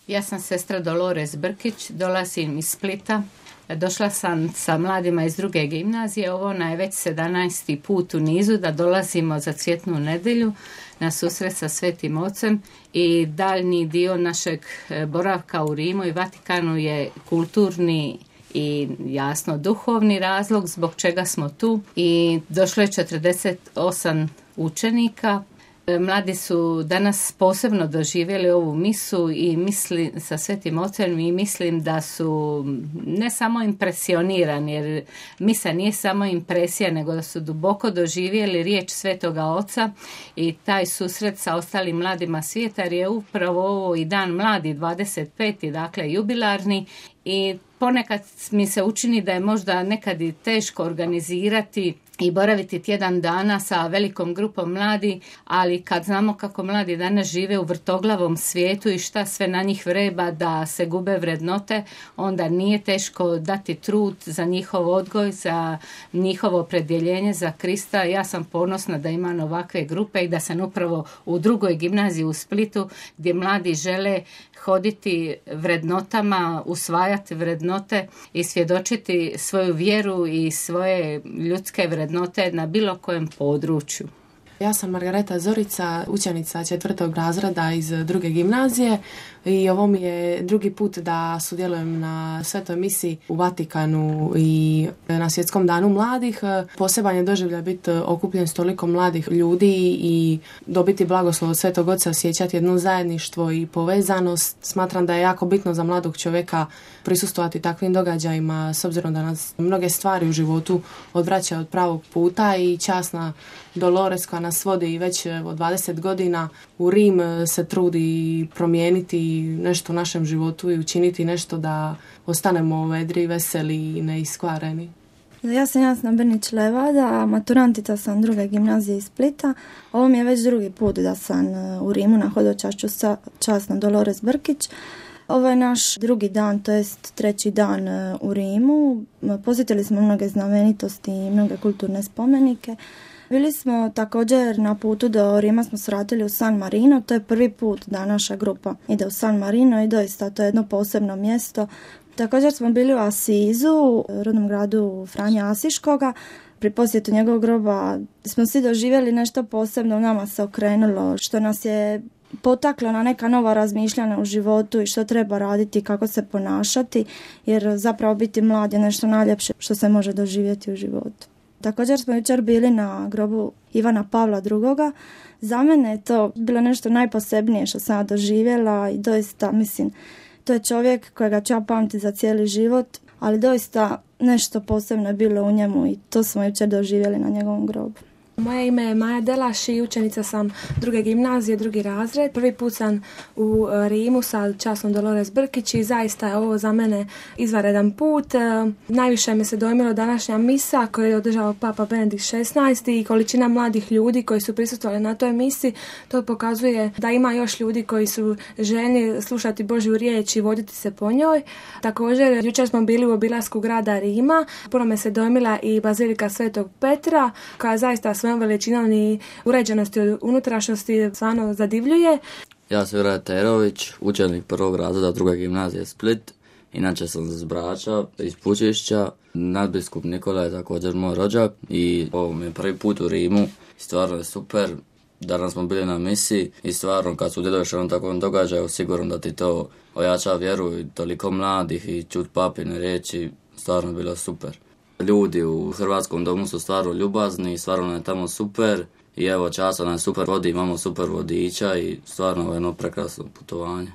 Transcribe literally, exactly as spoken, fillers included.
Ja sam sestra Dolores Brkić, dolazim iz Splita. Došla sam sa mladima iz druge gimnazije. Ovo je već sedamnaesti put u nizu da dolazimo za Cvjetnu nedjelju na susret sa Svetim Ocem i daljnji dio našeg boravka u Rimu i Vatikanu je kulturni i jasno duhovni razlog zbog čega smo tu. I došlo je četrdeset osam učenika. Mladi su danas posebno doživjeli ovu misu i misli sa Svetim Ocem i mislim da su ne samo impresionirani, jer misa nije samo impresija, nego da su duboko doživjeli riječ Svetoga Oca i taj susret sa ostalim mladima svijeta, jer je upravo ovo i dan mladi, dvadeset peti dakle jubilarni, i ponekad mi se učini da je možda nekad i teško organizirati i boraviti tjedan dana sa velikom grupom mladi, ali kad znamo kako mladi danas žive u vrtoglavom svijetu i šta sve na njih vreba da se gube vrednote, onda nije teško dati trud za njihov odgoj, za njihovo opredjeljenje za Krista. Ja sam ponosna da imam ovakve grupe i da sam upravo u drugoj gimnaziji u Splitu, gdje mladi žele hoditi vrednotama, usvajati vrednote i svjedočiti svoju vjeru i svoje ljudske vrednote na bilo kojem području. Ja sam Margareta Zorica, učenica četvrtog razreda iz druge gimnazije i ovo mi je drugi put da sudjelujem na svetoj misi u Vatikanu i na Svjetskom danu mladih. Poseban je doživljaj biti okupljen s toliko mladih ljudi i dobiti blagoslov od Svetog Oca, osjećati jedno zajedništvo i povezanost. Smatram da je jako bitno za mladog čovjeka prisustvovati takvim događajima, s obzirom da nas mnoge stvari u životu odvraćaju od pravog puta i časna Dolores koja nas vodi već od dvadeset godina u Rim se trudi promijeniti nešto u našem životu i učiniti nešto da ostanemo vedri, veseli i neiskvareni. Ja sam Jasna Brnić-Levada, maturantica sam druge gimnazije iz Splita. Ovo mi je već drugi put da sam u Rimu na hodočašću sa časnom Dolores Brkić. Ovo je naš drugi dan, to jest treći dan u Rimu. Posjetili smo mnoge znamenitosti i mnoge kulturne spomenike. Bili smo također na putu do Rima, smo svratili u San Marino, to je prvi put da naša grupa ide u San Marino i doista to je jedno posebno mjesto. Također smo bili u Asizu, rodnom gradu Franje Asiškoga. Pri posjetu njegovog groba smo svi doživjeli nešto posebno, nama se okrenulo, što nas je potaklo na neka nova razmišljanja u životu i što treba raditi, kako se ponašati, jer zapravo biti mlad je nešto najljepše što se može doživjeti u životu. Također smo jučer bili na grobu Ivana Pavla drugoga. Za mene je to bilo nešto najposebnije što sam doživjela i doista, mislim, to je čovjek kojega ću ja pamtiti za cijeli život, ali doista nešto posebno je bilo u njemu i to smo jučer doživjeli na njegovom grobu. Moje ime je Maja Delaš i učenica sam druge gimnazije, drugi razred. Prvi put sam u Rimu sa časnom Dolores Brkić i zaista je ovo za mene izvanredan put. Najviše me se dojmilo današnja misa koju je održao Papa Benedikt šesnaesti i količina mladih ljudi koji su prisustvovali na toj misi. To pokazuje da ima još ljudi koji su željni slušati Božju riječ i voditi se po njoj. Također, jučer smo bili u obilasku grada Rima. Puno me se dojmila i Bazilika Svetog Petra koja zaista svojom veličinom i uređenosti od unutrašnjosti stvarno zadivljuje. Ja sam Juraj Terović, učenik prvog razreda druge gimnazije Split. Inače sam iz Brača, iz Pučišća. Nadbiskup Nikola je također moj rođak i ovo mi je prvi put u Rimu. Stvarno je super. Danas smo bili na misiji i stvarno kad sudjeluješ na takvom događaju sigurno da ti to ojača vjeru i toliko mladih i čut papine riječi. Stvarno je bilo super. Ljudi u Hrvatskom domu su stvarno ljubazni, stvarno je tamo super i evo časa nam super vodi, imamo super vodiča i stvarno je jedno prekrasno putovanje.